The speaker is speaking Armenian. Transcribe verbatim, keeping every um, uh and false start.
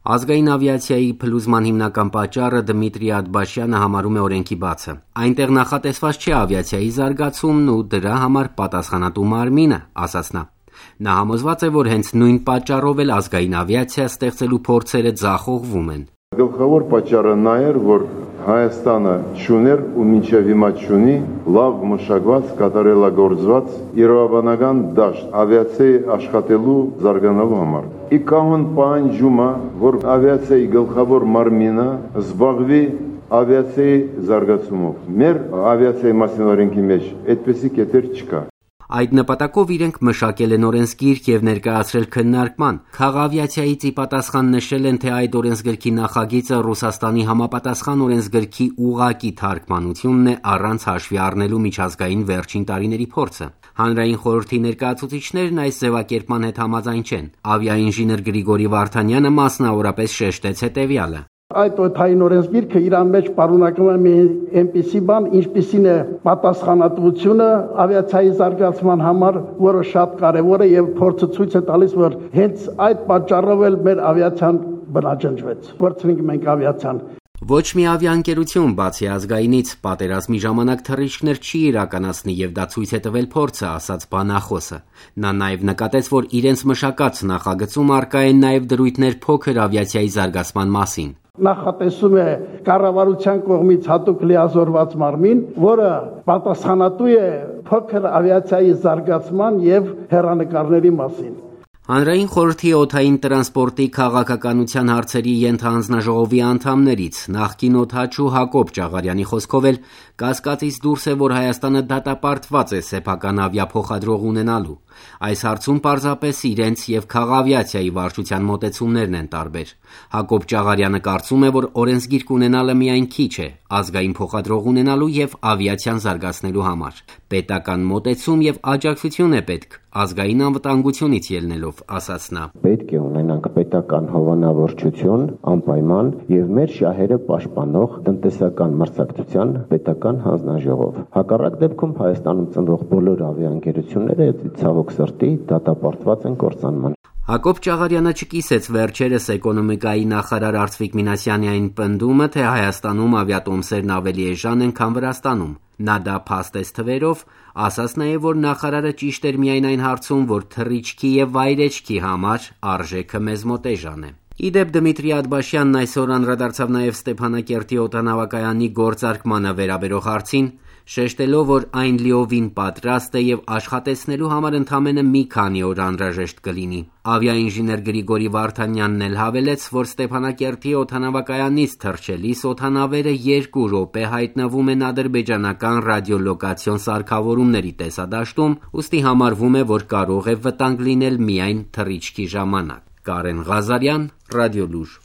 Ազգային ավիացիայի փլուզման հիմնական պատճառը Դմիտրի Աթբաշյանը համարում է օրենքի բացը։ Այնտեղ նախատեսված չէ ավիացիայի զարգացումն ու դրա համար պատասխանատու մարմինը, ասաց նա։ Նա համոզված է, որ հենց նույն պատճառով էլ ազգային ավիացիա ստեղծելու փորձերը ձախողվում են։ Գլխավոր պատճառը նա էր, որ Հայաստանը չուներ ու մինչև հիմա չունի լավ մշակված, կատարելագործված իրավաբանական դաշտ ավիացիայի աշխատելու զարգանալու համար։ Ի կանոն պահանջում է, որ ավիացիայի գլխավոր մարմինը զբաղվի ավիացիայի զարգացումով։ Մեր ավիացիայի մասին օրենքի մեջ այդպիսի կետեր չկա։ Այդ նպատակով իրենք մշակել են օրենսգիրք եւ ներկայացրել քննարկման։ Խաղաղավիացիայից ի պատասխան նշել են, թե այդ օրենսգրքի նախագիծը Ռուսաստանի համապատասխան օրենսգրքի ուղղակի թարգմանությունն է առանց հաշվի առնելու միջազգային վերջին տարիների փորձը։ Հանրային խորհրդի ներկայացուցիչներն այս ձևակերպման հետ համաձայն չեն։ Ավիաինժեներ Գրիգորի Վարդանյանը մասնավորապես շեշտեց հետևյալը. Այդ օդային օրենսգիրքը իր մեջ պարունակում է մի այնպիսի բան, ինչպիսին է պատասխանատվությունը ավիացիայի զարգացման համար, որը շատ կարևոր է եւ փորձը ցույց է տալիս, որ հենց այդ պատճառով էլ մեր ավիացիան բնաջնջվեց։ Որցնենք մենք ավիացիան։ Ոչ մի ավիաընկերություն, բացի ազգայինից, պատերազմի ժամանակ թռիչքներ չի իրականացնի եւ դա ցույց է տվել փորձը, ասաց բանախոսը։ Նա նաեւ նկատեց, որ իրենց մշակած նախագծում առկա են նաեւ դրույթներ փոքր ավիացիայի զարգացման մասին։ Նախատեսում է կառավարության կողմից հատուկ լիազորված մարմին, որը պատասխանատու է փոքր ավիացիայի զարգացման եւ հեռանկարների մասին։ Հանրային խորհրդի օդային տրանսպորտի քաղաքականության հարցերի ենթահանձնաժողովի անդամներից նախկին օդաչու Հակոբ Ճաղարյանի խոսքով էլ կասկածից դուրս է, որ Հայաստանը դատապարտված է սեփական ավիափոխադրող ունենալու։ Այս հարցում պարզապես իրենց եւ քաղավիացիայի վարչության մոտեցումներն են տարբեր։ Հակոբ Ճաղարյանը կարծում է, որ օրենսգիրք ունենալը միայն քիչ է, ազգային փոխադրող ունենալու եւ ավիացիան զարգացնելու համար։ Պետական մոտեցում եւ աջակցություն է պետք, ազգային անվտանգությունից ելնելով, ասաց նա։ Պետք է ունենանք պետական հովանավորչություն, անպայման եւ մեր շահերը պաշտպանող տնտեսական մրցակցության պետական հանձնաժողով։ Հակառակ դեպքում Հայաստանում ծնվող բոլոր ավիաընկերությունները ցավոք սրտի դատապարտված են կործանման։ Հակոբ Ճաղարյանը չկիսեց վերջերս էկոնոմիկայի նախարար Արծվիկ Մինասյանի այն պնդումը, թե Հայաստանում ավիատոմսերն ավելի էժան են, քան Վրաստանում։ Նա դա փաստեց թվերով, ասաց նաև, որ նախարարը ճիշտ էր միայն այն հարցում, որ թռիչքի եւ վայրեջքի համար արժեքը մեզ մոտ էժան է։ Իդեպ Դմիտրի Աթբաշյանն այսօր անդրադարձավ նաև Ստեփանակերտի օդանավակայանի գործարկմանը վերաբերող հարցին, շեշտելով, որ այն լիովին պատրաստ է եւ աշխատեցնելու համար ընդամենը մի քանի օր անհրաժեշտ կլինի։ Ավիաինժեներ Գրիգորի Վարդանյանն էլ հավելեց, որ Ստեփանակերտի օդանավակայանից թռչելիս օդանավերը երկու րոպե հայտնվում են ադրբեջանական ռադիոլոկացիոն սարքավորումների տեսադաշտում, ուստի համարվում է, որ կարող է վտանգ լինել միայն թռիչքի ժամանակ։ Կարեն Ղազարյան, Ռադիոլուր։